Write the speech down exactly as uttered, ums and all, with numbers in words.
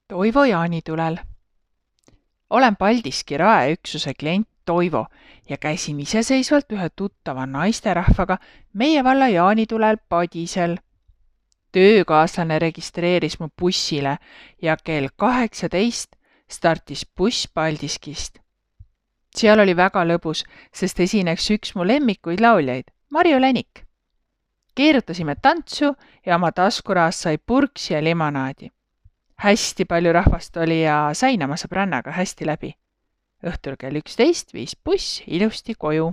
Toivo jaanitulel. Olen Paldiski raeüksuse klient Toivo ja käisin iseseisvalt ühe tuttava naisterahvaga meie valla jaanitulel Padisel. Töökaaslane registreeris mu bussile ja kell kaheksateist startis buss Paldiskist. Seal oli väga lõbus, sest esineks üks mu lemmikuid lauljaid, Marju Länik. Keerutasime tantsu ja oma taskuraas sai purksi ja limonaadi. Hästi palju rahvast oli ja sain oma sõbrannaga hästi läbi. Õhtul kell üksteist viis buss ilusti koju.